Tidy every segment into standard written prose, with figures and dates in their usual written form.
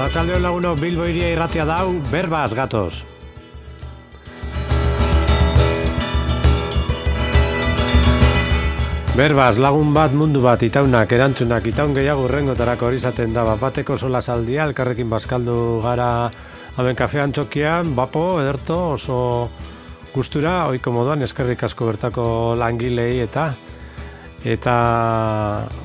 Arratsaldeon lagunok, Bilbo Hiria irratia dau, berbaz gatoz. Berbaz, lagun bat, mundu bat, itaunak, erantzunak, itaun gehiago urrengotarako hori izaten da, bateko sola saldia, elkarrekin bazkaldu gara hemen kafean txokian, bapo, ederto, oso gustura, ohiko moduan, eskerrik asko bertako langilei eta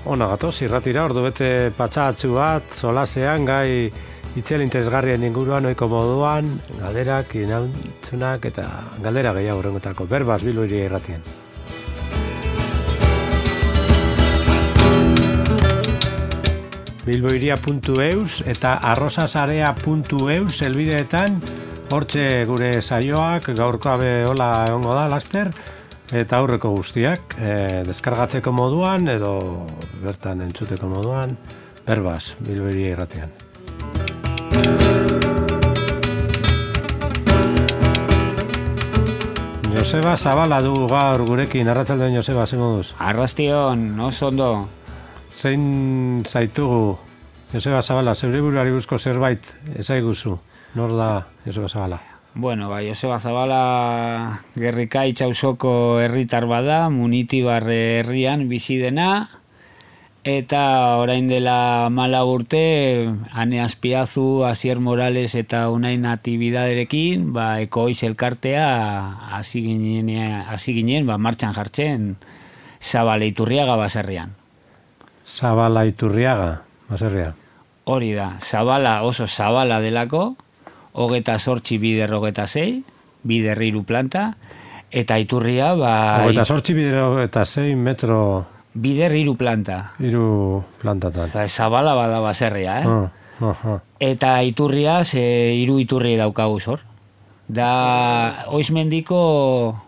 ona gatoz, irratira, ordu bete patxatxu bat, solasean, gai itzel interesgarrien inguruan, ohiko moduan, galderak, inantzunak eta galdera gehiago urrengotarako, berbaz, Bilbo Hiria irratien. bilbohiria.eus eta arrosasarea.eus helbideetan hortxe gure saioak gaurkoa be hola egongo da laster eta aurreko guztiak deskargatzeko moduan edo bertan entzuteko moduan berbaz Bilbo Hiria irratian. Joseba Zabala du gaur gurekin, arratsaldeon Joseba, ze moduz? Arrastion, oso ondo. Zein zaitugu, Joseba Zabala, zeure buruari buruzko zerbait ezaiguzu, nor da Joseba Zabala? Bueno, Joseba Zabala Gerrikaitz auzoko herritar bada, Munitibar herrian bizi dena, eta orain dela 14 urte, Ane Azpiazu, Asier Morales eta Unai Natibidaderekin, Ekoiz elkartea hasi ginen martxan jartzen Zabala Iturriaga baserrian. Zabala Iturriaga, baserria. Hori da, Zabala oso Zabala delako, 28 bider 26, bider 3 planta, eta Iturria 28 bider 26 metro... Bider 3 planta. 3 plantatan. Zabala bada baserria, Eta Iturria, 3 iturri daukagu zor. Da, Oizmendiko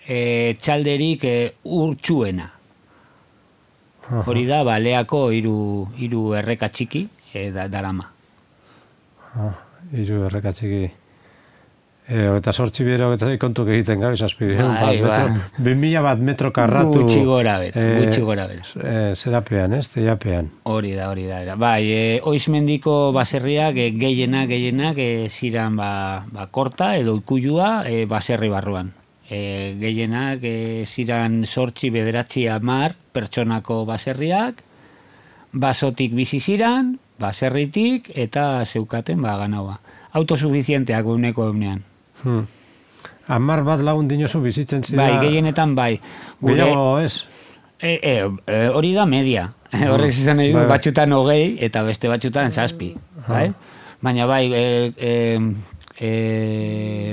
txalderik urtsuena. Hori da, Baleako 3 erreka txiki darama. 3 erreka txiki. Eta sortzi bero kontuk egiten gabe, zazpi. 2000 bat metro karratu. Gutxi gora bera. Zerapean, teiapean. Hori da. Oizmendiko baserriak gehienak ziran korta edo ikullua baserri barruan. Gehienak ziran 8, 9, 10 pertsonako baserriak, basotik bizi ziran, baserritik eta zeukaten ganaua. Autosuficienteak uneko eunean. 10 bat lagun dinozu bizitzen zira? Bai, gehienetan bai. Gehiago ez? Hori da media. Horrek izan nahi du, batxutan 20 eta beste batxutan 7. Baina bai,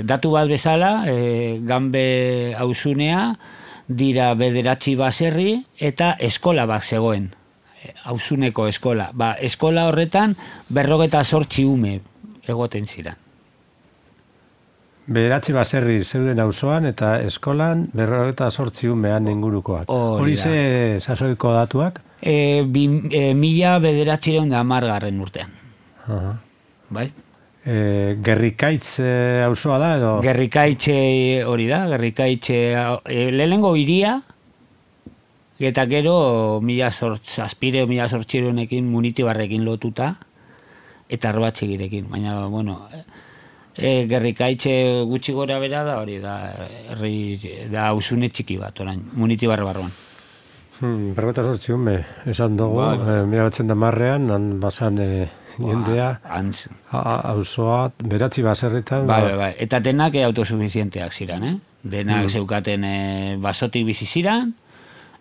datu bat bezala, Ganbe auzunea dira 9 baserri eta eskola bat zegoen. Auzuneko eskola. Eskola horretan 48 ume egoten ziren. 9 baserri zeuden auzoan eta eskolan 48 umean ingurukoak. Hori ze sasoiko datuak? 1910 urtean. Bai? Gerrikaitz auzoa da edo? Gerrikaitz hori da, Gerrikaitz lehenengo hiria eta gero 1800ekin Munitibarrekin lotuta eta Arbatxegirekin, baina bueno, Gerrikaitz gutxi gora bera da hori da, da auzune txiki bat orain, Munitibarre barruan. 48 ume, esan dugu, 1910ean, han basan jendea, auzoa, 9 baserritan. Bai, eta denak autosuficienteak ziren, Denak zeukaten basotik bizi ziren,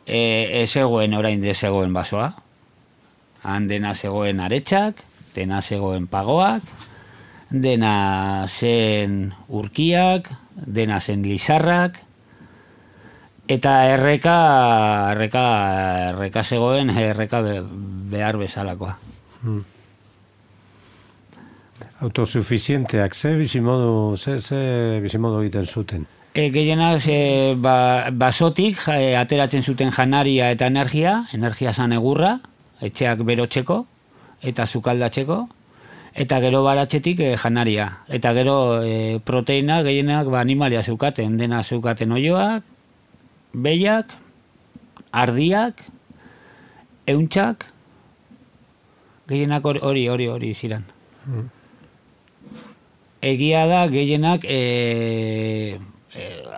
zegoen orain de zegoen basoa. Han dena zegoen aretsak, dena zegoen pagoak, dena zen urkiak, dena zen lizarrak, eta erreka zegoen, erreka behar bezalakoa. Autosuficienteak, ze bizimodu egiten zuten? Gehienak basotik ateratzen zuten janaria eta energia zan egurra, etxeak berotzeko eta sukaldatzeko, eta gero baratzetik janaria. Eta gero proteina gehienak animalia zeukaten, dena zeukaten oioak, behiak, ardiak, euntxak, gehienak hori ziren. Egia da, gehienak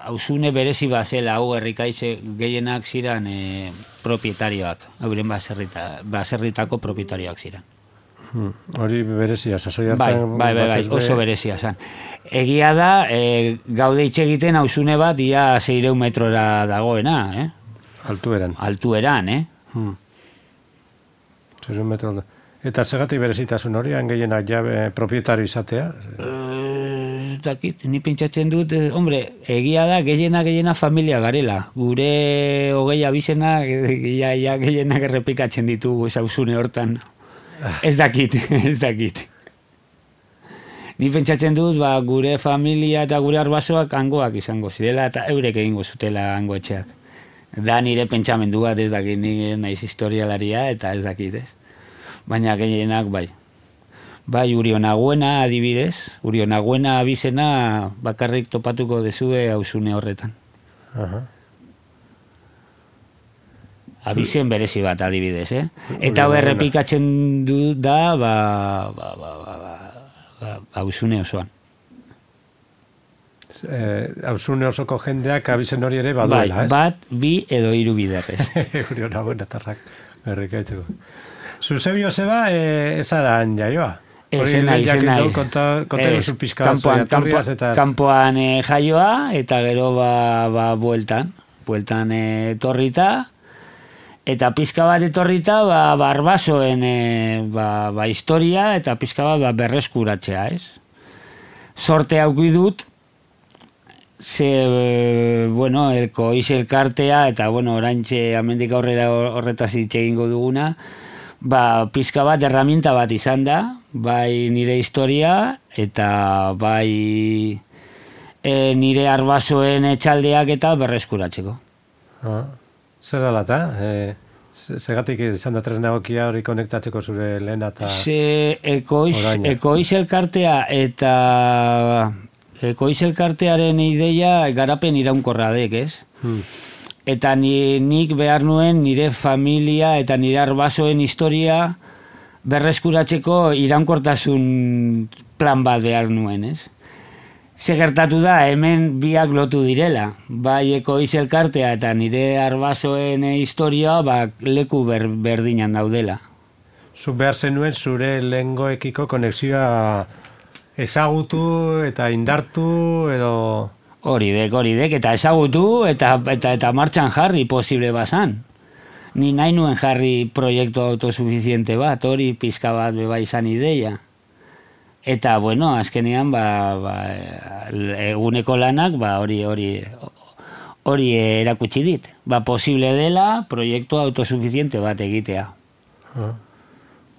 hausune berezi bazela, hau herrikaitze gehienak ziren propietarioak, hauren baserritako propietarioak ziren. Hori berezia, sasoi hartan... Bai, oso berezia zan. Egia da, gaude hitz egiten hausune bat, ia 600 metrora dagoena, Altueran. Altueran, 600 metro. Eta segatik berezitasun hori, gehienak jabe propietario izatea? Dakit, ni pentsatzen dut, hombre, egia da, gehiena familia garela. Gure hogei abizena, gehienak errepikatzen ditugu hausune hortan. Ez dakit. Ni pentsatzen dut, gure familia eta gure arbasoak hangoak izango zirela, eta eurek egingo zutela hango etxeak. Da nire pentsamendu bat, ez dakit, ni naiz historialaria, eta ez dakit, ez. Baina gehienak bai. Bai, Urionaguena adibidez, Urionaguena abizena bakarrik topatuko dezue hausune horretan. Abizen berezi bat adibidez, Eta hau errepikatzen du da, hausune osoan. Hausune osoko jendeak abizen hori ere baduela, ez? Bat, bi edo hiru biderrez. Urionaguena tarrak, errekaitzeko. Zuzebi Joseba, ezaran jaioa? Izenai. Kampoan jaioa, eta gero bueltan etorrita, eta pizka bat etorrita, barbasoen historia, eta pizka bat berreskuratzea, ez? Sorte hauki dut, elkoiz elkartea, eta oraintxe amendik aurrera horretaz hitz egingo duguna, pizka bat herramienta bat izan da, bai nire historia eta bai nire arbasoen etxaldeak eta berreskuratzeko. Zer dala eta? Segatik izan da tresna egokia hori konektatzeko zure lehena eta oraina? Ekoiz elkartea eta ekoiz elkartearen ideia garapen iraunkorra dek, ez? Eta nik behar nuen nire familia eta nire arbasoen historia berreskuratzeko iraunkortasun plan bat behar nuen, ez? Ze gertatu da, hemen biak lotu direla. Bai ekoiz elkartea eta nire arbasoen historia leku berdinan daudela. Zuk behar zenuen zure lehengoekiko konexioa ezagutu eta indartu edo... Hori dek, eta ezagutu eta martxan jarri posible bazan. Ni nahi nuen jarri proiektu autosuficiente bat, hori pizka bat beba izan ideia. Eta, azkenean, eguneko lanak, hori erakutsi dit. Posible dela proiektu autosuficiente bat egitea.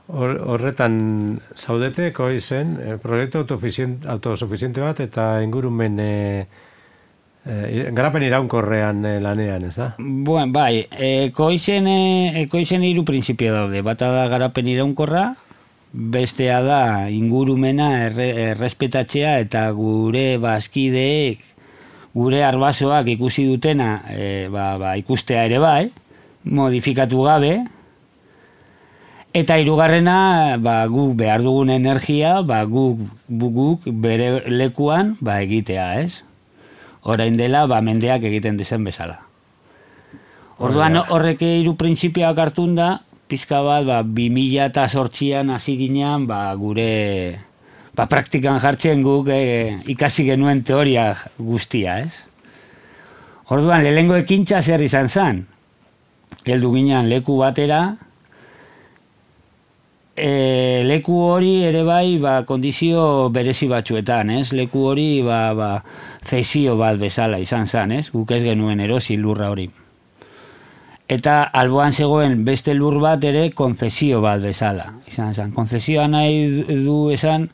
Horretan zaudete, koizen, proiektu autosuficiente bat eta ingurumen garapen iraunkorrean lanean, ez da? Bai, ekoizen hiru printzipio daude. Bata da garapen iraunkorra, bestea da ingurumena errespetatzea eta gure bazkideek, gure arbasoak ikusi dutena ikustea ere bai, modifikatu gabe, eta hirugarrena guk behar dugun energia guk bere lekuan egitea, ez? Orain dela, mendeak egiten dezen bezala. Orduan horrek hiru printzipioak hartun da, pizka bat 2008an hasi ginean gure praktikan jartzen guk ikasi genuen teoria guztia, ez? Orduan, lehengo ekintza zer izan zen? Heldu ginean leku batera, leku hori ere bai kondizio berezi batzuetan, ez? Leku hori zesio bat bezala izan zen, ez? Guk ez genuen erosi lurra hori. Eta alboan zegoen beste lur bat ere konzesio bat bezala izan zen. Konzesioa nahi du esan,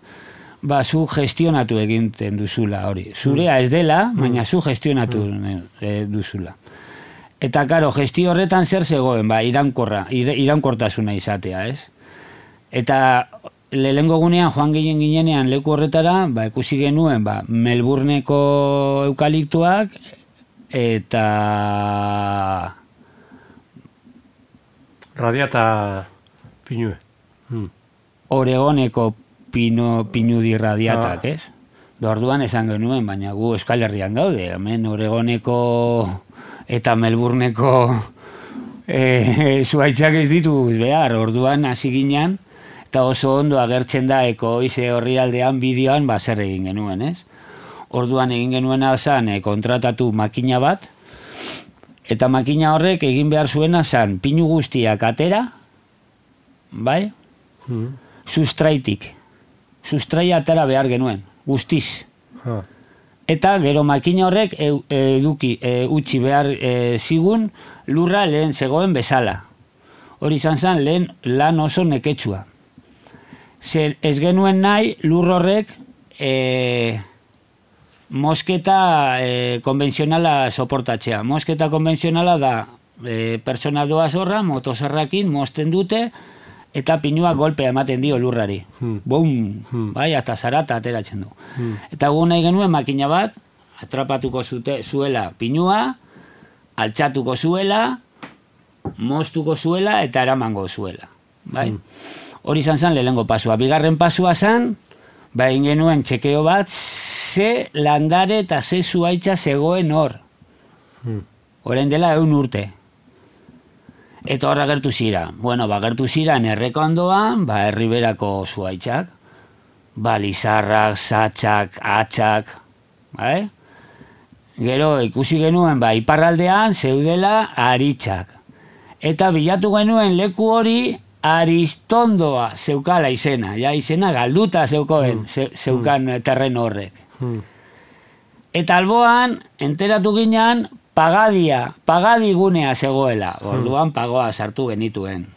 zu gestionatu egiten duzula hori. Zurea ez dela, baina zu gestionatu duzula. Eta karo, gestio horretan zer zegoen, iraunkortasuna izatea, ez? Eta lehengo gunean joan ginenean leku horretara, ikusi genuen Melbourneko eukaliptuak eta Radiata pinue. Oregoneko pinudi radiatak, ez? Orduan esan genuen, baina gu Euskal Herrian gaude, hemen Oregoneko eta Melbourneko zuaitzak ez ditu behar, orduan hasi ginen, eta oso ondo agertzen da Ekoize orrialdean bideoan zer egin genuen, ez? Orduan egin genuena zen kontratatu makina bat, eta makina horrek egin behar zuena zen pinu guztiak atera, bai? Sustraitik. Sustraia atera behar genuen, guztiz. Eta gero makina horrek utzi behar zigun lurra lehen zegoen bezala. Hori izan zen lehen lan oso neketsua. Zer ez genuen nahi lur horrek mosketa konbentzionala soportatzea. Mosketa konbentzionala da pertsona doaz horra, motosarrakin mosten dute, eta pinua golpea ematen dio lurrari. Bum! Bai, eta zarata ateratzen du. Eta gu nahi genuen makina bat, atrapatuko zuela pinua, altxatuko zuela, moztuko zuela, eta eramango zuela. Bai? Hori izan zen lehenengo pasua. Bigarren pasua zen, egin genuen txekeo bat, ze landare eta ze zuaitza zegoen hor. Orain dela 100 urte. Eta horra gertu zira. Bueno, gertu ziran errekondoan, herriberako zuaitzak. Lizarrak, satxak, atxak. Bai? Gero ikusi genuen, iparraldean zeudela aritxak. Eta bilatu genuen leku hori Aristondoa zeukala izena. Ja, izena galduta zeukan terreno horrek. Eta alboan, enteratu ginen, pagadi gunea zegoela. Orduan pagoa sartu genituen.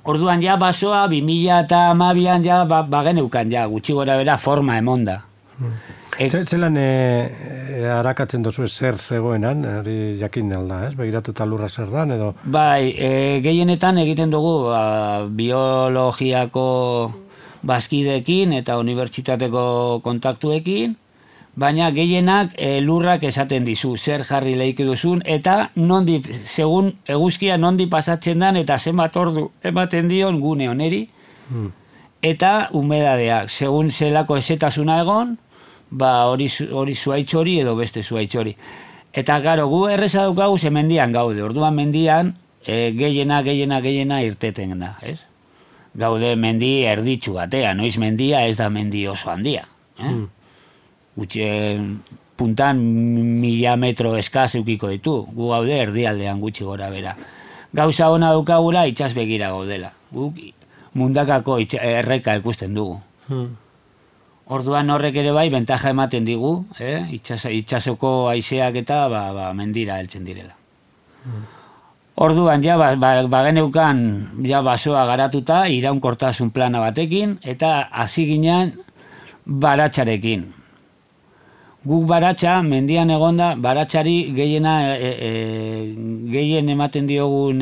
Orduan ja basoa 2012an ja bageneukan ja, gutxi gora bera forma emonda. Zelan harakatzen dozu zer zegoenan, hori jakin alda, ez? Begiratuta lurra zer dan, edo? Bai, gehienetan egiten dugu biologiako bazkideekin eta unibertsitateko kontaktuekin, baina gehienak lurrak esaten dizu, zer jarri lehik duzun, eta segun eguzkia nondi pasatzen dan, eta zenbat ordu ematen dion gune oneri, eta humedadeak, segun zelako ezetasuna egon, hori zuaitz hori edo beste zuaitz hori. Eta garo, gu erreza daukagu ze mendian gaude, orduan mendian gehiena irteten da, ez? Gaude mendi erditsu batea, noiz mendia ez da mendi oso handia. Puntan 1000 metro eskaz eukiko ditu, gu gaude erdialdean gutxi gora bera. Gauza ona daukagula itxas begira gaudela, guk mundakako erreka ikusten dugu. Orduan horrek ere bai, bentaja ematen digu, itxasoko haizeak eta mendira heltzen direla. Orduan, ja, bageneukan basoa garatuta, iraunkortasun plana batekin, eta hasi ginen baratxarekin. Guk baratxa, mendian egonda, baratxari gehien ematen diogun,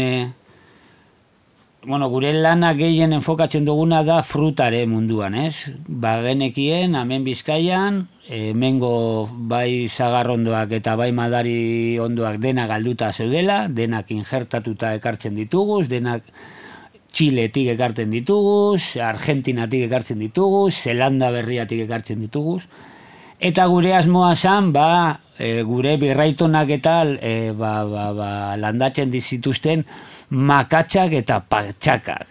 gure lana gehien enfokatzen duguna da frutare munduan, ez? Bagenekien, hemen Bizkaian, hemengo bai zagarrondoak eta bai madari ondoak dena galduta zeudela, denak injertatuta ekartzen dituguz, denak Txiletik ekartzen dituguz, Argentinatik ekartzen dituguz, Zelanda berriatik ekartzen dituguz, eta gure asmoa zan, gure birraitonak eta landatzen dizituzten makatxak eta patxakak.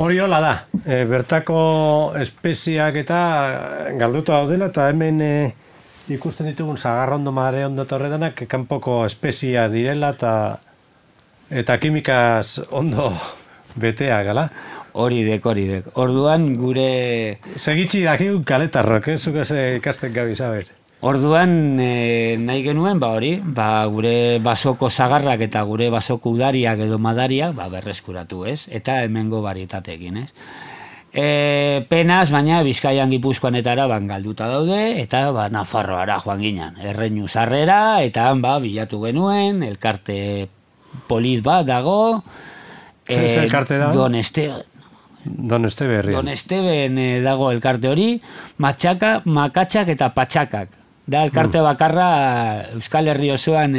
Hori hola da, bertako espeziak eta galduta daudela, eta hemen ikusten ditugun zagarrondo, madare ondo eta horredanak kanpoko espezia direla eta kimikaz ondo betea, gala? Hori dek. Orduan gure... Segitxi dakigun kaletarrok, zuk ikasten gabi, saber? Orduan nahi genuen, gure basoko zagarrak eta gure basoko udariak edo madariak berreskuratu, ez? Eta hemengo barietatekin, ez? Penaz, baina Bizkaian Gipuzkoanetara galduta daude, eta Nafarroara joan ginen. Erreinu sarrera, eta bilatu genuen, elkarte polit bat dago. Zer elkarte dago? Don Esteben dago elkarte hori, makatxak eta patxakak. Da elkarte bakarra Euskal Herri osoan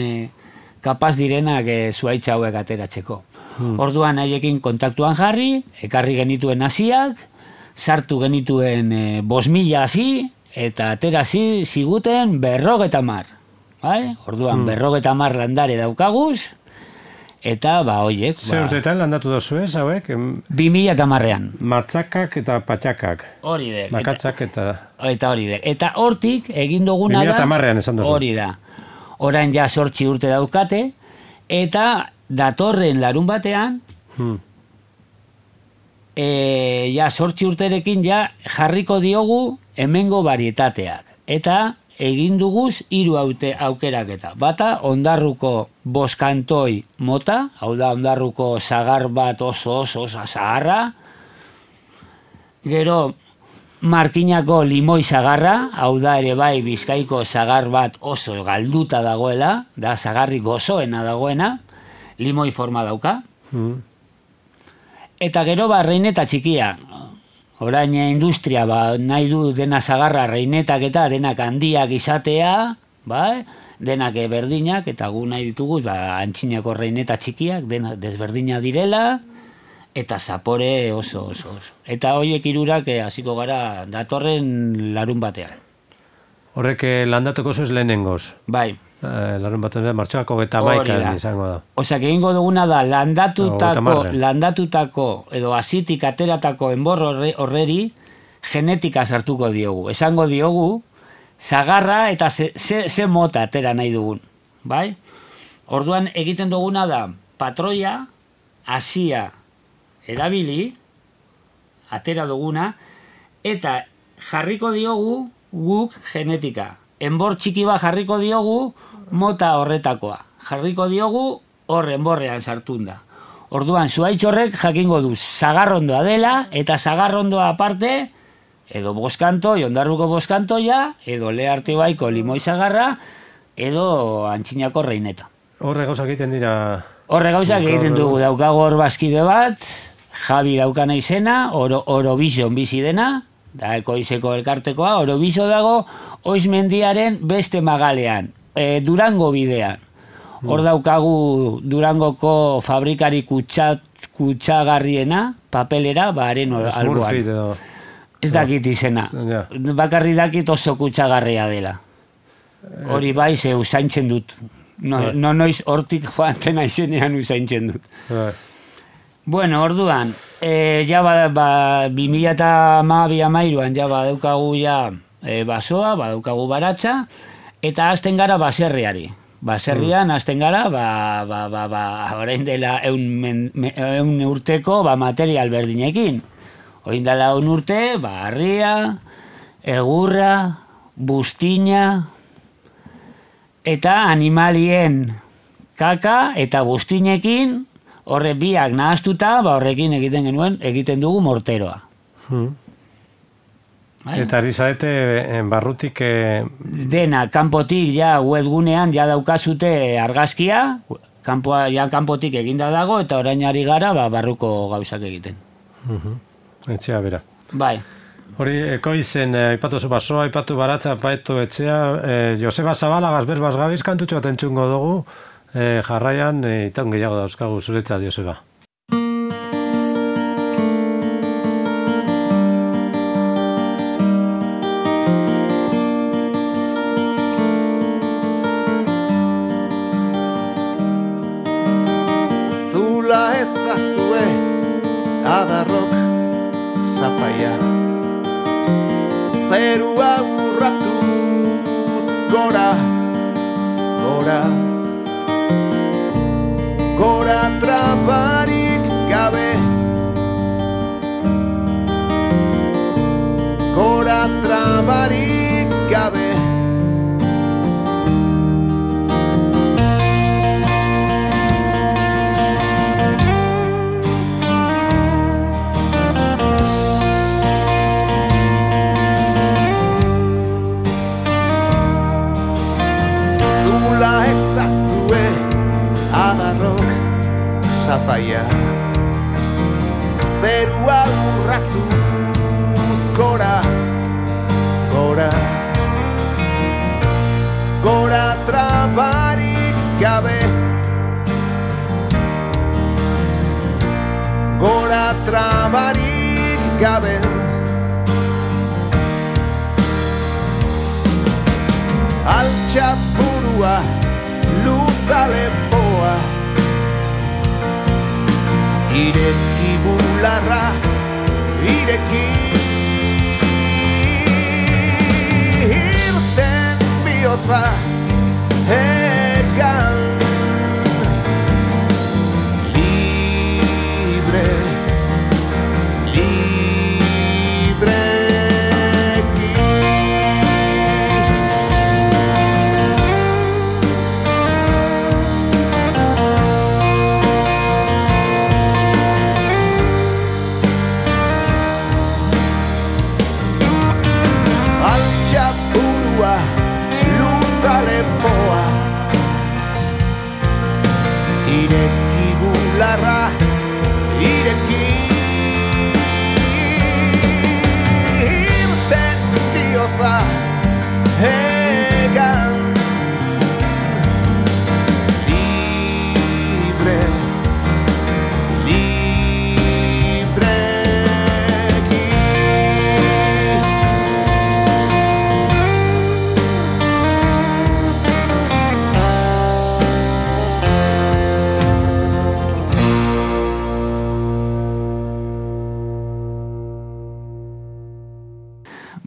kapaz direnak zuaitza hauek ateratzeko. Orduan haiekin kontaktuan jarri, ekarri genituen hasiak, sartu genituen 5.000 hasi, eta atera ziguten 50. Bai? Orduan 50 landare daukaguz, eta hoiek. Zer urteetan landatu dozu ez, hauek? 2010an. Matzakak eta patxakak. Hori de. Makatzak eta... Eta hori de. Eta hortik egin duguna da... 2010an esan dozu. Hori da. Orain ja 8 urte daukate, eta datorren larun batean, ja 8 urterekin ja jarriko diogu hemengo varietateak. Eta egin duguz 3 aukeraketa. Bata, Ondarruko boskantoi mota, hau da Ondarruko sagar bat oso zaharra. Gero, Markinako limoi sagarra, hau da ere bai Bizkaiko sagar bat oso galduta dagoela, da sagarri gozoena dagoena, limoi forma dauka. Eta gero reineta txikia. Orain industria nahi du dena sagarra reinetak eta denak handiak izatea, denak berdinak, eta gu nahi ditugu antxinako reineta txikiak, denak desberdina direla, eta zapore oso. Eta horiek 3 hasiko gara datorren larun batean. Horrek landatuko zuz lehenengoz? Bai. Larun batean martxoako 21 izango da. Osak egingo duguna da landatutako edo hasitik ateratako enbor horreri genetika sartuko diogu. Esango diogu sagarra eta ze mota atera nahi dugun. Bai? Orduan egiten duguna da patroia, hasia erabili, atera duguna, eta jarriko diogu guk genetika. Enbor txiki bat jarriko diogu mota horretakoa. Jarriko diogu enborrean sartunda. Orduan, zuhaitz horrek jakingo du zagarrondoa dela, eta zagarrondoa aparte, edo boskantoi, Ondarruko boskantoia, edo Lehartibaiko limoi zagarra, edo antxinako reineta. Horre gauzak egiten dira... Horre gauzak egiten dugu, daukago hor bazkide bat, Javi daukana izena, Orovision bizi dena, da Ekoizeko elkartekoa, Oroviso dago, Oizmendiaren beste magalean, Durango bidean. Hor daukagu Durangoko fabrikari kutsagarriena, papelera, haren alboan. Ez dakit izena. Bakarri dakit oso kutsagarria dela. Hori bai, ze usaintzen dut. Noiz hortik joantena izenean usaintzen dut. Bueno, orduan, ja 2012an ja badaukagu basoa, badaukagu baratza, eta hasten gara baserriari. Baserrian hasten gara, orain dela 100 urteko material berdinekin. Orain dela 100 urte, harria, egurra, buztina, eta animalien kaka eta buztinekin, horre biak nahaztuta, horrekin egiten dugu morteroa. Eta ari zaete barrutik... Dena, kanpotik ja webgunean ja daukazute argazkia, kanpotik eginda dago, eta orain ari gara barruko gauzak egiten. Etxea bera. Bai. Hori, Ekoizen, aipatu zu basoa, aipatu baratza, aipatu etxea, Joseba Zabalagaz berbaz gabiz kantutxo bat entzungo dugu, jarraian, itaun gehiago dauzkagu zuretzat, Joseba. Zula ezazue adarrok zapaia, zerua urratuz gora, gora, gora trabarik gabe, gora trabarik gabe. Zula ezazue adarrok zapaia, zerua urratuz gora, gora, gora trabarik gabe, trabarik gabe. Altxapurua, luza lepoa, ireki bularra, ireki irten bihotza egan libre, libreki. Altxapurua, luza lepoa, ireki bularra, ireki irten bihotza egan libre, libreki.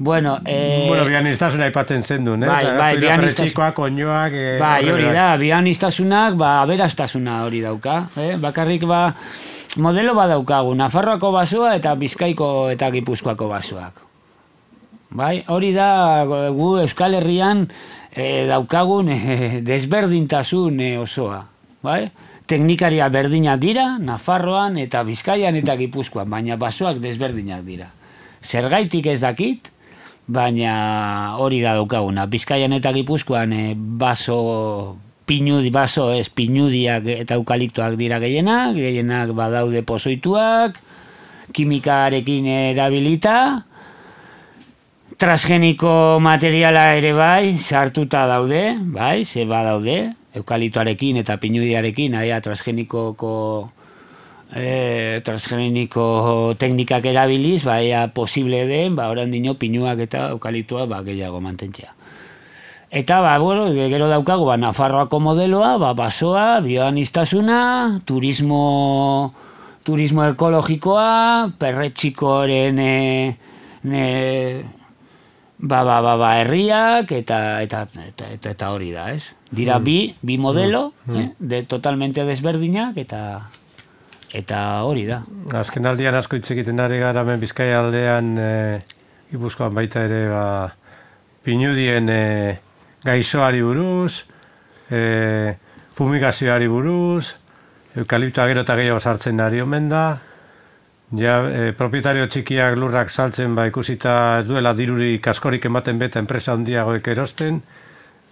Bueno, Bueno, bianiztasuna aipatzen zendun, eh? bai, Perretxikoak, oinoak... bai, hori da, bianiztasunak, aberastasuna hori dauka, bakarrik modelo daukagu, Nafarroako basoa eta Bizkaiko eta Gipuzkoako basoak. Bai, hori da, gu Euskal Herrian daukagun desberdintasun osoa, bai? Teknikaria berdinak dira, Nafarroan eta Bizkaian eta Gipuzkoan, baina basoak desberdinak dira. Zergaitik ez dakit, baina hori da daukaguna. Bizkaian eta Gipuzkoan pinudiak eta eukaliptoak dira gehienak badaude pozoituak, kimikarekin erabilita, transgeniko materiala ere bai, sartuta daude, bai, ze badaude, eukaliptoarekin eta pinudiarekin, transgeniko teknikak erabiliz, baina posible den, orandino pinuak eta eukaliptoa gehiago mantentzea. Eta, bueno, gero daukagu, Nafarroako modeloa, basoa, bioaniztasuna, turismo ekologikoa, perretxikoren herriak, eta hori da, ez? Dira bi modelo, totalmente desberdinak, eta hori da. Azken aldian asko hitz egiten ari gara hemen Bizkaia aldean, Gipuzkoan baita ere pinudien gaixoari buruz, fumigazioari buruz, eukaliptoa gero eta gehiago sartzen ari omen da, propietario txikiak lurrak saltzen ikusita ez duela dirurik askorik ematen beta enpresa handiagoek erosten,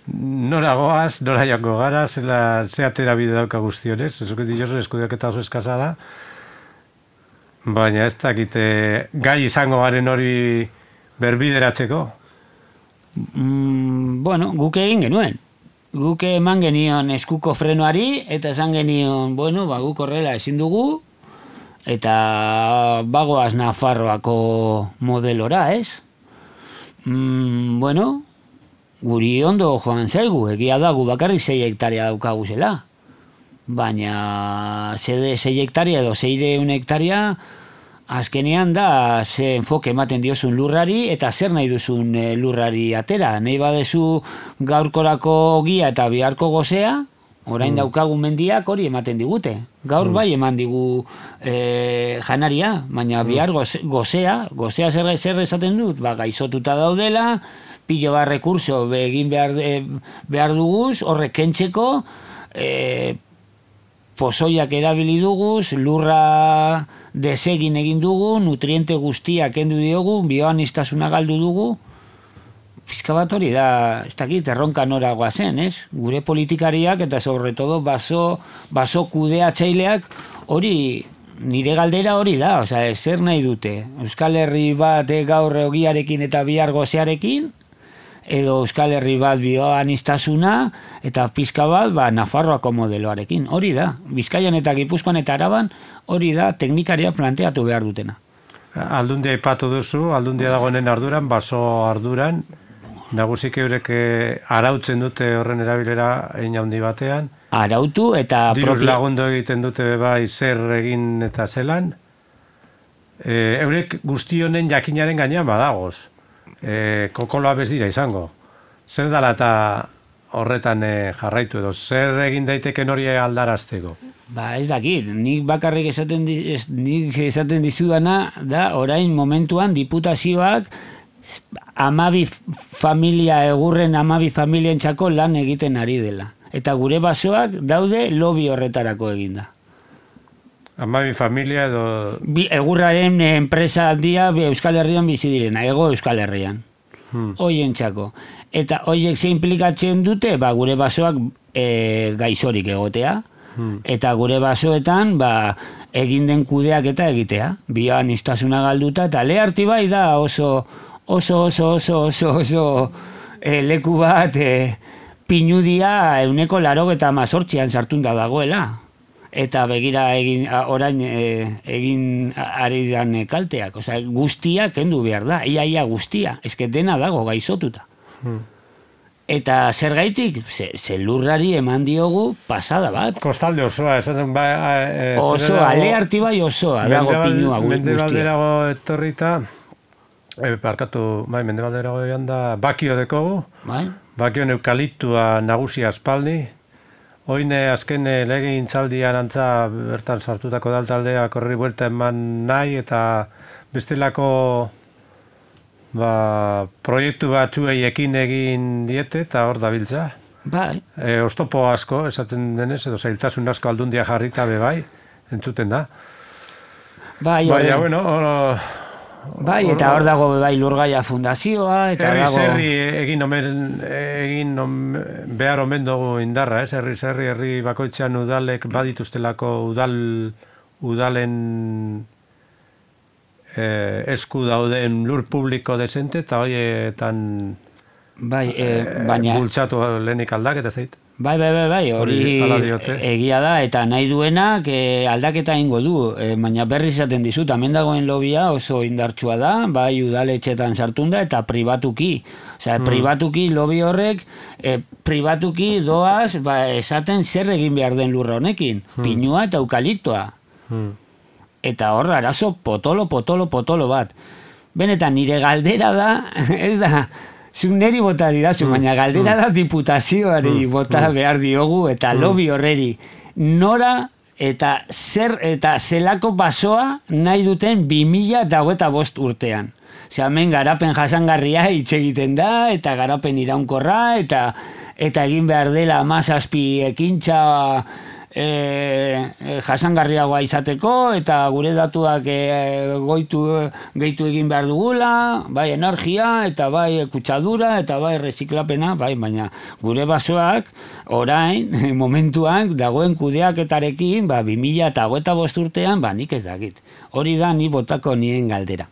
nora goaz, nora joango gara, ze atera bide dauka guztionez, ezuket diozu eskudeak eta oso eskasa da, baina ez dakite gai izango garen hori berbideratzeko. Bueno, guk egin genuen. Guk eman genion eskuko frenoari, eta esan genion, bueno, guk horrela ezin dugu, eta bagoaz Nafarroako modelora, ez? Bueno, guri ondo joan zaigu, egia da, gu bakarrik 6 hektarea daukagu zela. Baina 6 hektarea edo 600 hektarea azkenean da ze enfoke ematen diozun lurrari eta zer nahi duzun lurrari atera. Nahi badezu gaurkorako ogia eta biharko gozea, orain daukagun mendiak hori ematen digute. Gaur bai eman digu janaria, baina bihar gozea zer esaten dut? Gaizotuta daudela, pilo bat rekurso egin behar duguz, horrek kentzeko, pozoiak erabili duguz, lurra desegin egin dugu, nutriente guztiak kendu diogu, bioaniztasuna galdu dugu. Pizka bat hori da, ez dakit, erronka nora goazen, ez? Gure politikariak eta sobre todo baso kudeatzaileak hori, nire galdera hori da, osea, zer nahi dute? Euskal Herri bat gaur ogiarekin eta bihar gozearekin, edo Euskal Herri bat bioaniztasuna, eta pizka bat Nafarroako modeloarekin. Hori da, Bizkaian eta Gipuzkoan eta Araban, hori da teknikaria planteatu behar dutena. Aldundia aipatu duzu, aldundia dagoenen arduran, baso arduran, nagusik eurek arautzen dute horren erabilera hein handi batean. Arautu eta... Diruz lagundu egiten dute bai zer egin eta zelan. Eurek guzti honen jakinaren gainean badagoz. Kokoloa bez dira izango. Zer dala eta horretan jarraitu edo, zer egin daiteken hori aldarazteko? Ez dakit, nik bakarrik esaten dizudana da, orain momentuan diputazioak egurren 12 familientzako lan egiten ari dela. Eta gure basoak daude lobby horretarako eginda. 12 familia edo... Egurraren enpresa aldia Euskal Herrian bizi direna, Hego Euskal Herrian. Hoientzako. Eta hoiek ze implikatzen dute, gure basoak gaixorik egotea. Eta gure basoetan egin den kudeak eta egitea. Bioaniztasuna galduta, eta leharti bai da oso leku bat pinudia 188an sartunda dagoela. Eta begira orain egin ari dan kalteak. Osea, guztia kendu behar da. Ia guztia. Eske dena dago gaixotuta. Eta zergaitik, lurrari eman diogu pasada bat. Kostalde osoa, esaten osoa, alearti bai osoa, dago pinua guztia. Mendebalderago etorrita, mendebalderago egan da, bakio dekogu, bakioen eukaliptua nagusia aspaldi, oine azken legegintzaldian antza bertan sartutako daltaldeak horri buelta eman nahi, eta bestelako proiektu batzuei ekin egin diete eta hor dabiltza. Oztopo asko, esaten denez, edo zailtasun asko aldundia jarrita bai, entzuten da. Baina, bueno, eta hor dago Lurgaia Fundazioa, eta dago... Egin behar omen dugu indarra, herri bakoitzean udalek badituztelako udalen esku dauden lur publiko desente eta horietan bultzatu lehenik aldaketa zait. Bai, hori egia da, eta nahi duenak aldaketa ingo du, baina berri izaten dizut, hemen dagoen lobia oso indartsua da, bai udaletxetan sartunda eta pribatuki. Osea, pribatuki lobi horrek, pribatuki doaz esaten zer egin behar den lurra honekin, pinua eta eukaliptoa. Eta hor, arazo potolo bat. Benetan, nire galdera da, ez da, zuk neri bota didazu, baina galdera da diputazioari bota behar diogu, eta lobby horreri nora eta zer eta zelako basoa nahi duten 2025 urtean. Osea, hemen garapen jasangarria hitz egiten da, eta garapen iraunkorra, eta egin behar dela 17 ekintza jasangarriagoa izateko, eta gure datuak gehitu egin behar dugula, bai energia, eta bai kutsadura, eta bai reziklapena, baina gure basoak orain, momentuan, dagoen kudeaketarekin, 2025 urtean, nik ez dakit. Hori da ni botako nien galdera.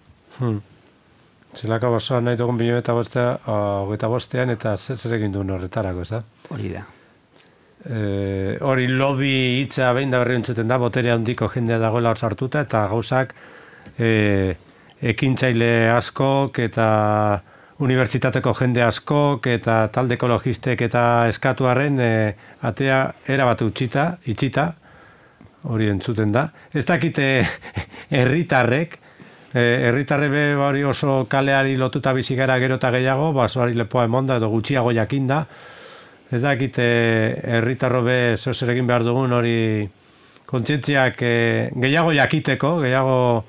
Zelako basoa nahi dugun 2025 eta zer egin duen horretarako, ez da? Hori da. Hori lobby hitza behin da berri entzuten da, botere handiko jendea dagoela hor sartuta, eta gauzak ekintzaile askok eta unibertsitateko jende askok eta talde ekologistek eta eskatuaren atea erabat itxita, hori entzuten da. Ez dakite herritarrek, herritarre hori oso kaleari lotuta bizigara gero eta gehiago, basoari lepoa emonda edo gutxiago jakinda. Ez dakit herritarro zer egin behar dugun hori kontzientziak gehiago jakiteko, gehiago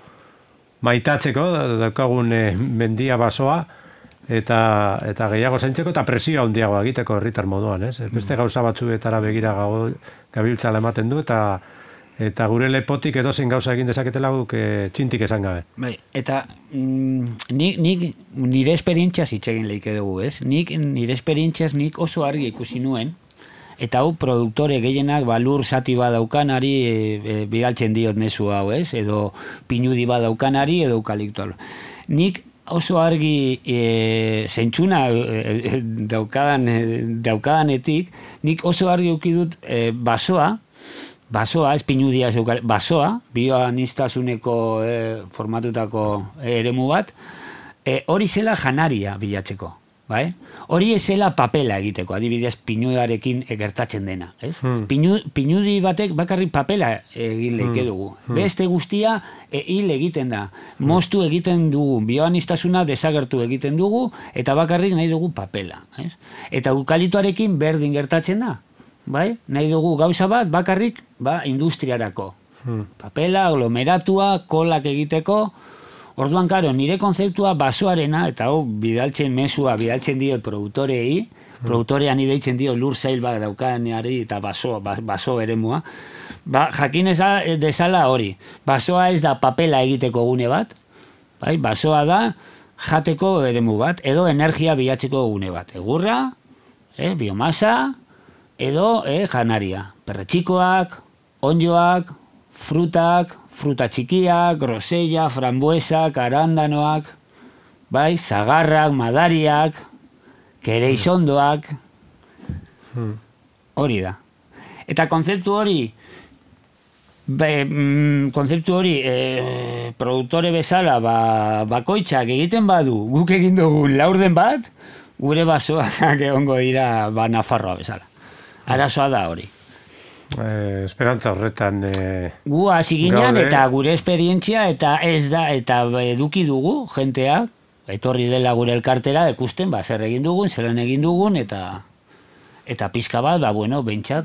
maitatzeko, daukagun mendia basoa, eta gehiago zaintzeko eta presio handiago egiteko herritar moduan, ez? Beste gauza batzuetara begira gabiltzala ematen du, eta gure lepotik edozein gauza egin dezaketela guk txintik esan gabe. Bai, eta nik nire esperientziaz hitz egin lehike dugu, ez? Nire esperientziaz nik oso argi ikusi nuen, eta hau produktore gehienak lur zati badaukanari bidaltzen diot mezu hau, ez? Edo pinudi badaukanari edo eukaliptoa. Nik oso argi zentsuna daukadanetik, nik oso argi ukidut basoa, ez pinudia basoa, bioaniztasuneko formatutako eremu bat, hori zela janaria bilatzeko. Bai? Hori ezela papela egiteko, adibidez pinudarekin gertatzen dena. Ez? Pinudi batek bakarrik papela egin leike dugu. Beste guztia hil egiten da. Moztu egiten dugu, bioaniztasuna desagertu egiten dugu, eta bakarrik nahi dugu papela. Ez? Eta eukaliptoarekin berdin gertatzen da. Bai? Nahi dugu gauza bat bakarrik industriarako. Papela, aglomeratua, kolak egiteko. Orduan, karo, nire konzeptua basoarena, eta mesua bidaltzen dio produktorei, produktorean ideitzen dio lur zail bat daukaneari eta baso eremua, jakin dezala hori. Basoa ez da papela egiteko gune bat, bai? Basoa da jateko eremu bat, edo energia bilatzeko gune bat. Egurra, biomasa, edo janaria. Perretxikoak, ondjoak, frutak, fruta txikiak, grosella, frambuesak, arandanoak, bai, zagarrak, madariak, kereizondoak, hori da. Eta kontzeptu hori, produktore bezala, bakoitzak egiten badu, guk egin dugun laurden bat, gure basoak egongo dira Nafarroa bezala. Arazoa da hori. Esperantza horretan gu hasi ginen eta gure esperientzia eta ez da eta eduki dugu jentea etorri dela gure elkartera ikusten zer egin dugun, zelan egin dugun eta pizka bat behintzat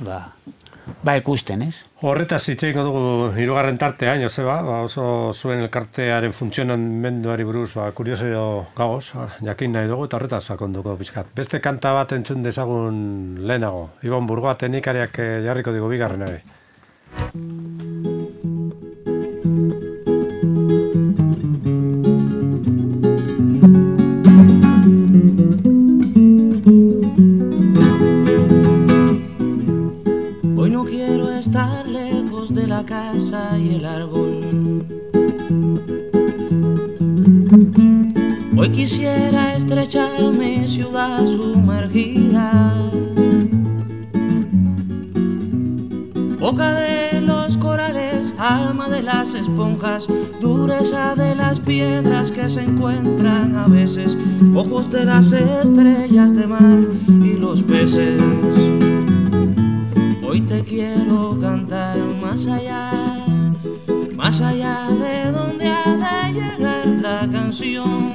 ikusten, ez? Horretaz hitz egingo dugu hirugarren tartean, Joseba, oso zuen elkartearen funtzionamenduari buruz kuriosio gagoz, jakin nahi dugu eta horretaz sakonduko pizkat. Beste kanta bat entzun dezagun lehenago. Ibon Burgoa teknikariak jarriko digu bigarren ere. La casa y el árbol. Hoy quisiera estrechar mi ciudad sumergida, boca de los corales, alma de las esponjas, dureza de las piedras que se encuentran a veces, ojos de las estrellas de mar y los peces. Hoy te quiero cantar más allá de donde ha de llegar la canción.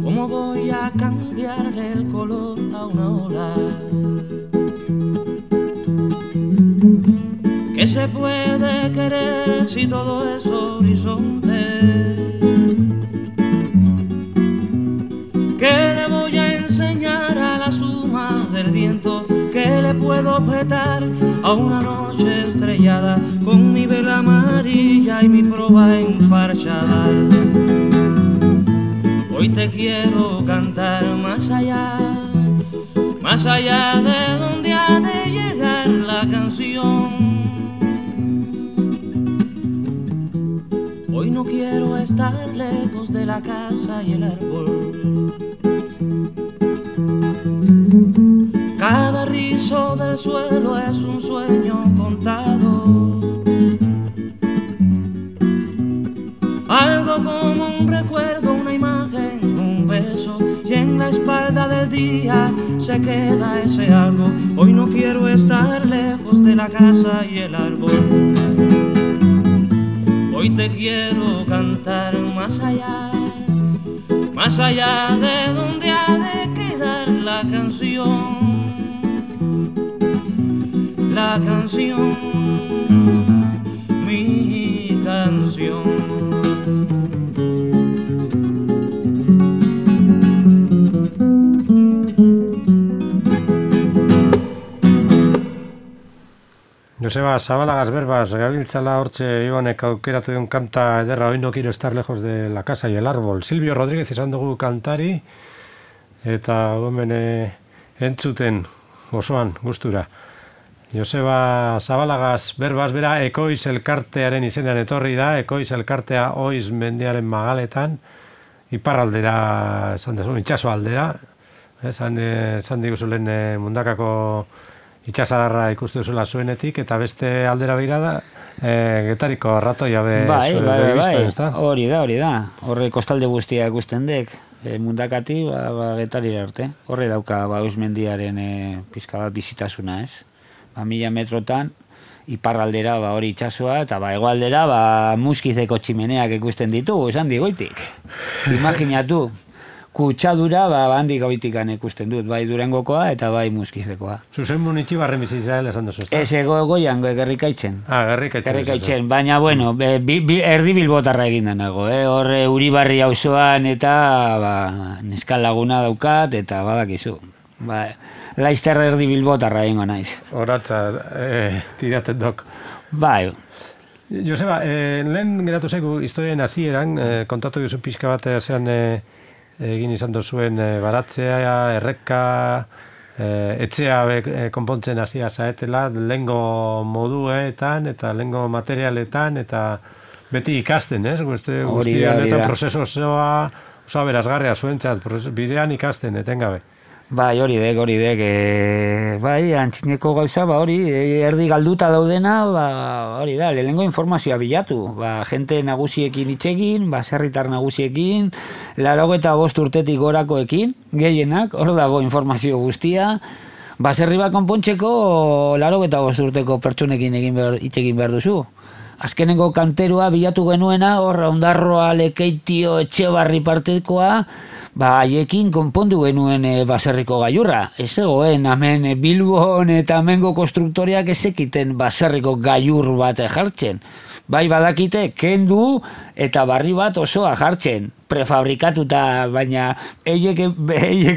¿Cómo voy a cambiarle el color a una ola? ¿Qué se puede querer si todo es horizonte? ¿Qué le voy a enseñar a la suma del viento? ¿Qué le puedo objetar a una noche estrellada con mi vela amarilla y mi proa enfarchada? Hoy te quiero cantar más allá de donde ha de llegar la canción. Hoy no quiero estar lejos de la casa y el árbol. Cada rizo del suelo es un sueño contado, algo como un recuerdo, una imagen, un beso, y en la espalda del día se queda ese algo. Hoy no quiero estar lejos de la casa y el árbol. Hoy te quiero cantar más allá de donde ha de quedar la canción. La canción, mi canción. Joseba, Zabalagaz berbaz, gabiltzala hortxe Ibanek aukeratu duen kanta ederra, hoy no quiero estar lejos de la casa y el árbol. Silvio Rodríguez izan dugu kantari, eta gomen entzuten osoan gustura. Joseba Zabalagaz berbaz bera Ekoiz elkartearen izenean etorri da, Ekoiz elkartea Oiz mendiaren magaletan, iparraldera, esan dezu, itxaso aldera, esan diguzu lehen Mundakako itxasadarra ikustu duzula zuenetik, eta beste aldera begira da, Getariko arratoia Bai, hori da. Horre kostalde guztia ikusten dek, Mundakati, Getarira arte. Horre dauka, Eusmendiaren pizka bat bizitasuna, ez? 1000 metrotan, iparraldera hori itxasoa, eta hegoaldera Muskizeko tximeneak ikusten ditu, esan digoitik. Imaginatu, kutsadura handik goitikan ikusten dut, bai Durangokoa eta bai Muskizekoa. Zuzen munitxibarren bizitzaela esan duzu, ez da? Ez goian, Gerrikaitzen. Gerrikaitzen. Baina, bueno, erdi bilbotarra egin nago, horre Uribarri auzoan eta neskal laguna daukat, eta badakizu. Laizter erdi bilbotarra egingo naiz. Horatza, tiraten dok. Bai. Joseba, lehen geratu zaigu historien hasieran, kontatu duzu pixka bat zean egin izan duzuen baratzea, erreka, etxea konpontzen hasia zaetela, lehengo moduetan eta lehengo materialetan, eta beti ikasten, ez? Guztia honetan prozeso osoa berazgarria zuentzat, bidean ikasten, etengabe. Bai, hori dek, bai, antzineko gauza, hori, erdi galduta daudena, hori da, lehenengo informazioa bilatu, jente nagusiekin itxegin, baserritar nagusiekin, 85 urtetik gorakoekin, gehienak, hor dago informazio guztia, baserri bat konpontzeko 85 urteko pertsonekin itxegin behar duzu. Azkenengo kanterua bilatu genuena, hor, Ondarroa, Lekeitio, Etxebarri partekoa, haiekin konpondu genuen baserriko gailurra. Ez egoen, hemen Bilbon eta hemengo konstruktoriak ezekiten baserriko gailur bat jartzen. Bai badakite, kendu eta barri bat osoa jartzen. Prefabrikatuta, baina eiek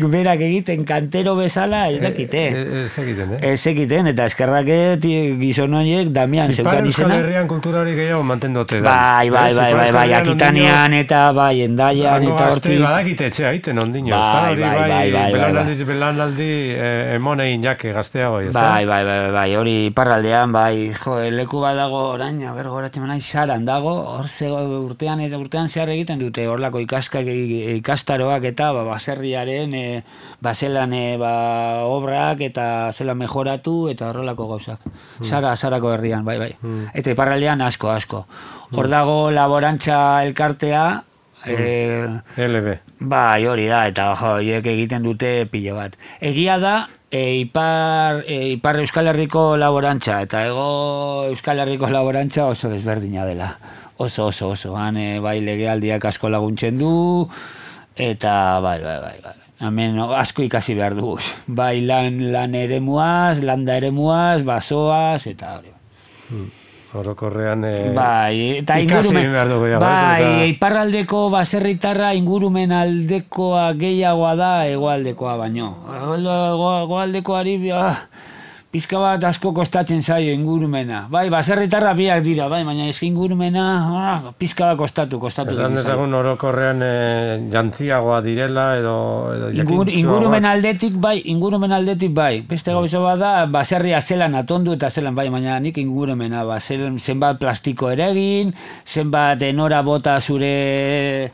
berak egiten kantero bezala ez dakite. Ez egiten, eta eskerrak gizon horiek Damian zeukan izena. Ipar Euskal Herrian kultura hori gehiago mantendote da. Bai, Akitanian eta bai, Endaian eta hortik. Badakite etxea egiten ondino. Belanaldi emonein jake gazteago. Bai, hori iparraldean, bai, leku bat dago orain, bergoratzen nahi Saran dago, hor urtean zehar egiten dute horlako ikastaroak eta baserriaren zelan obrak eta zelan mejoratu eta horrelako gauzak. Sarako herrian, bai. Eta iparraldean asko. Hor dago laborantza elkartea, LB. Bai, hori da, eta horiek egiten dute pilo bat. Egia da, Ipar Euskal Herriko laborantza eta Hego Euskal Herriko laborantza oso desberdina dela. Oso. Bai, legealdiak asko laguntzen du, eta bai. Hemen asko ikasi behar dugu. Bai, lan eremuaz, landa eremuaz, basoaz, eta hori. Orokorrean ikasi behar dugu. Bai, iparraldeko baserritarra ingurumen aldekoa gehiagoa da hegoaldekoa baino. Hegoaldekoari pizka bat asko kostatzen zaio ingurumena. Bai, baserritarra biak dira, bai, baina ez ingurumena pizka bat kostatu. Esan dezagun orokorrean jantziagoa direla edo ingurumen aldetik bai. Beste gauza bat da, baserria zelan atondu eta zelan bai, baina nik ingurumena, zenbat plastiko eregin, zenbat enora bota zure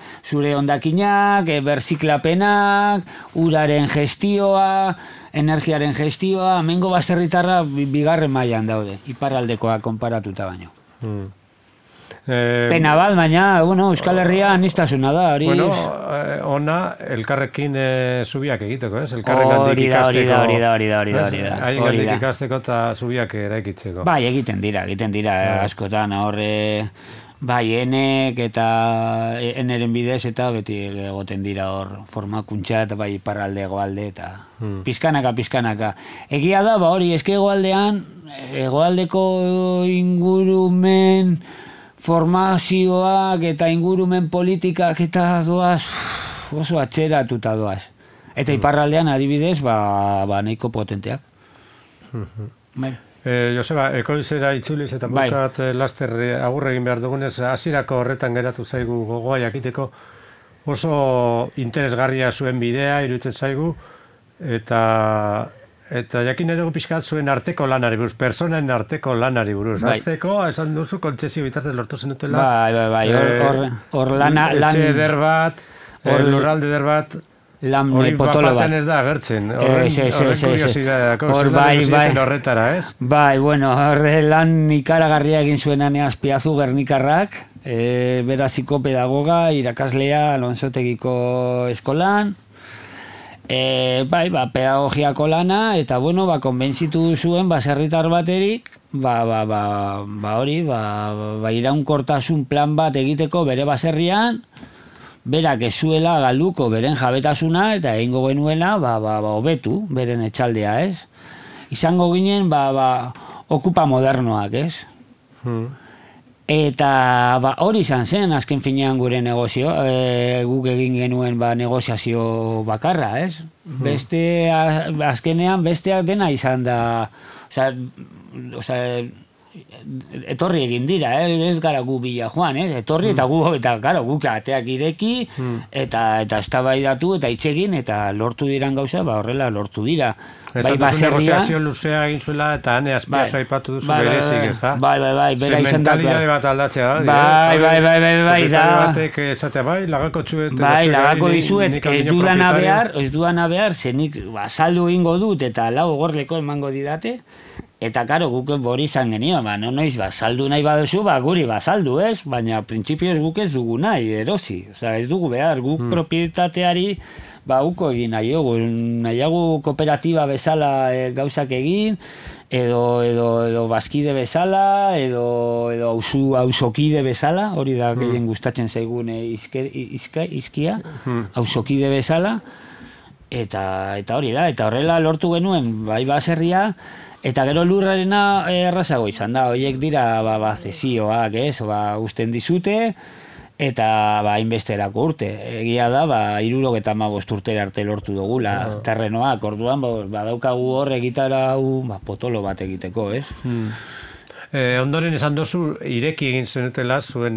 ondakinak, berziklapenak, uraren gestioa, energiaren gestioa, hemengo baserritarra bigarren mailan daude, iparraldekoa konparatuta baino. Pena bat, baina, Euskal Herria aniztasuna da. Ona, elkarrekin zubiak egiteko, ez? Elkarrekandik ikasteko. Hori da. Haiengandik ikasteko eta zubiak eraikitzeko. Bai, egiten dira, askotan, horre... Bai, enek eta eneren bidez eta beti egoten dira hor formakuntza eta bai iparralde egoalde eta pizkanaka. Egia da, hori eske egoaldeko ingurumen formazioak eta ingurumen politikak eta doaz oso atxeratuta doaz. Eta iparraldean adibidez, nahiko potenteak. Joseba, Ekoizera itzuliz eta bukat laster agurre egin behar dugunez, hasierako horretan geratu zaigu gogoa jakiteko oso interesgarria zuen bidea, iruditzen zaigu, eta eta jakin edo pixkat zuen arteko lanari buruz, personen arteko lanari buruz. Azteko, esan duzu, kontzesio bitartez lortu zenutela. Bai, hor etxe eder bat, lurralde eder bat, hori potolo bat. Ez da agertzen, horren kuriosidadako, zuten horretara, ez? Bai, bueno, horre lan ikaragarria egin zuen Azpiazu Gernikarrak, beraziko pedagoga, irakaslea Alonsotegiko eskolan, pedagogiako lana, eta bueno, konbentzitu zuen baserritar baterik, iraunkortasun plan bat egiteko bere baserrian, berak ez zuela galduko beren jabetasuna eta egingo genuela hobetu beren etxaldea, ez? Izango ginen okupa modernoak, ez? Eta hori izan zen azken finean gure negozio, guk egin genuen negoziazio bakarra, ez? Azkenean besteak dena izan da, etorri egin dira, ez gara gu bila joan, etorri eta guk ateak ireki eta eztabaidatu eta itxegin eta lortu diran gauza, horrela lortu dira. Esan duzu negoziazio luzea egin zuela eta hane Azpiazu aipatu duzu berezik, ez da? Bai, bera izan da. Mentalidade bat aldatzea da. Bai, da. Batek esatea, lagako txuet. Bai, lagako dizuet, ez duana behar, zenik saldu egingo dut eta lau gorleko emango didate. Eta, karo, guk hori izan genio, noiz, saldu nahi baduzu, guri saldu, ez? Baina, printzipioz guk ez dugu nahi, erosi. Osa, ez dugu behar, guk propietateari, uko egin nahiago kooperatiba bezala gauzak egin, edo bazkide bezala, edo auzokide bezala, hori da gehien gustatzen zaigun izkia, auzokide bezala, eta hori da, eta horrela lortu genuen, baserria, eta gero lurrarena errazago izan da, horiek dira zesioak, usten dizute, eta hainbesterako urte. Egia da, 75 urtera arte lortu dugula terrenoak, orduan badaukagu hor egitarau potolo bat egiteko, ez? Ondoren esan dozu, ireki egin zenutela zuen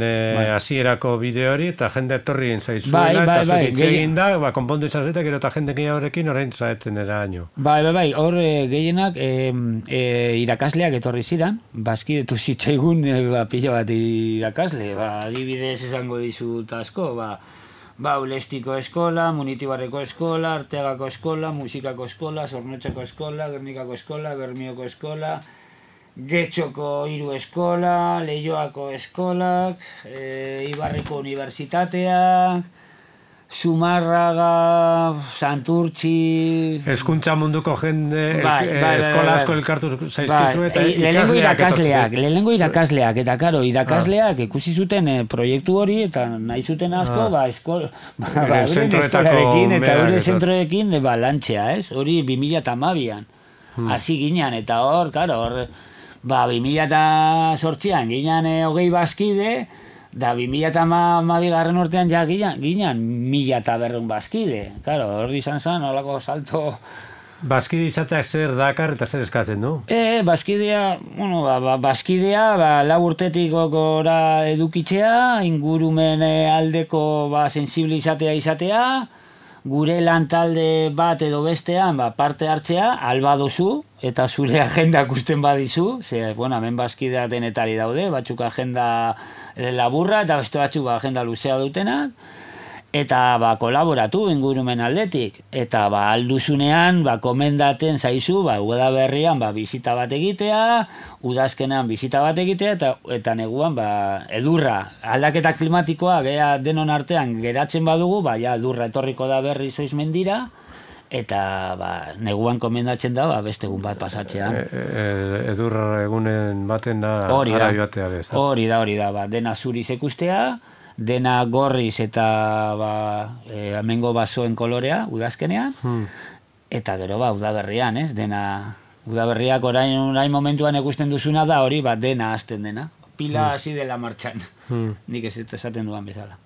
hasierako bideo hori, eta jende etorri egin zaizuela, eta zuen hitz egin da, konpondu izan zuetak, eta jende gehiagorekin orain zaeten eraino. Bai, hor gehienak irakasleak etorri ziren, bazkidetu zitzaigun pila bat irakasle, adibidez esango dizut asko, Ulestiko eskola, Munitibarreko eskola, Arteagako eskola, Musikako eskola, Zornotzako eskola, Gernikako eskola, Bermioko eskola, Getxoko 3 eskola, Leioako eskolak, Ibarriko unibertsitateak, Zumarraga, Santurtzi... Hezkuntza munduko jende, eskola asko elkartu zaizkizu eta lehenengo irakasleak, eta karo, irakasleak ikusi zuten proiektu hori, eta nahi zuten asko, euren eskolarekin eta euren zentroekin lantxea, ez? Hori 2012an, hasi ginen, eta hor, karo, 2008an ginen 20 bazkide, da 2012 urtean ja ginen 1200 bazkide. Claro, hori izan zen, holako salto... Bazkide izateak zer dakar eta zer eskatzen du? Bazkidea, lau urtetik gora edukitzea, ingurumen aldeko sensibilizatea izatea, gure lantalde bat edo bestean parte hartzea, alba dozu, eta zure agenda ikusten badizu, hemen bazkidea denetari daude, batzuk agenda laburra eta beste batzuk agenda luzea dutenak, eta kolaboratu ingurumen aldetik, eta alduzunean komendaten zaizu, udaberrian bizita bat egitea, udazkenean bizita bat egitea, eta neguan edurra, aldaketa klimatikoa denon artean geratzen badugu, edurra etorriko da berri zoiz mendira, eta neguan komendatzen da beste egun bat pasatzean. Edurra egunen baten da ara joatea bez. Hori da, dena zuriz ikustea, dena gorriz eta hemengo basoen kolorea udazkenean, eta gero udaberrian, ez? Dena udaberriak orain momentuan ikusten duzuna da hori dena hasten dena. Pila hasi dela martxan. Nik ez esaten duan bezala.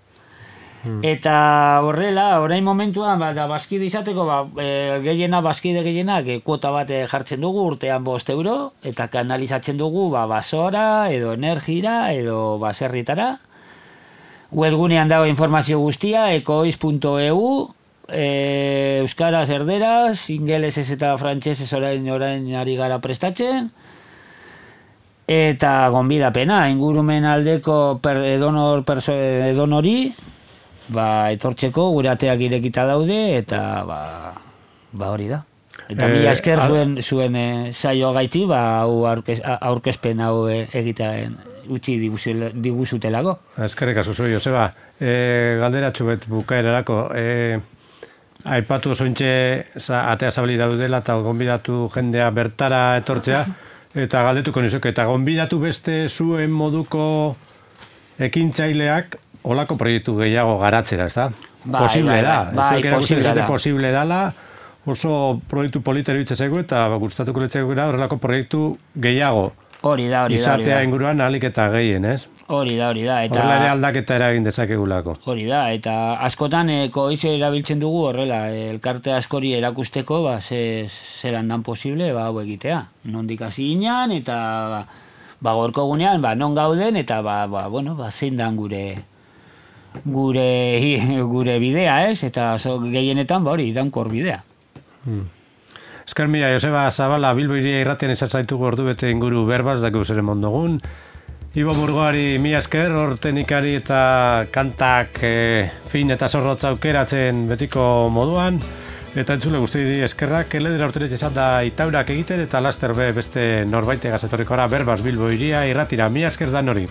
Eta horrela, orain momentuan bazkide izateko bazkide gehienak kuota bat jartzen dugu urtean 5 euro, eta kanalizatzen dugu basora, edo energira, edo baserritara. Webgunean dago informazio guztia, ekoiz.eu, euskaraz erderaz, ingelesez eta frantsesez orain ari gara prestatzen, eta gonbidapena, ingurumen aldeko edonori, etortzeko gure ateak irekita daude, eta hori da. Eta mila esker zuen saio gaiti, aurkezpen hau egitean utzi diguzutelako. Eskerrik asko zu, Joseba. Galderatxu bet bukaerarako. Aipatu zointxe atea zabali daudela eta gonbidatu jendea bertara etortzea, eta galdetuko nizuke, eta gonbidatu beste zuen moduko ekintzaileak olako proiektu gehiago garatzera, ez da? Posible da. Posible dala, oso proiektu polita eruditzen zaigu eta gustatuko litzaigu horrelako proiektu gehiago. Hori da. Izatea inguruan ahalik eta gehien, ez? Hori da. Horrela ere aldaketa eragin dezakegulako. Hori da, eta askotan koizio erabiltzen dugu horrela, elkarte askori erakusteko, zelan dan posible, hau egitea. Nondik hasi ginean, eta gorko gunean, non gauden, eta zein dan gure bidea, ez? Eta gehienetan, hori, daunkor bidea. Esker mila, Joseba Zabala, Bilbo Hiria irratian izan zaitugu ordu bete inguru berbaz, dakigu zeren mondogun. Ibo Burgoari mila esker, hortenikari eta kantak fin eta zorrotza aukeratzen betiko moduan. Eta entzule guzti eskerrak, eledera urteretxe izan da itaurak egiten, eta laster beste norbaite gazetorrikora berbaz Bilbo Hiria irratira. Mila esker dan hori.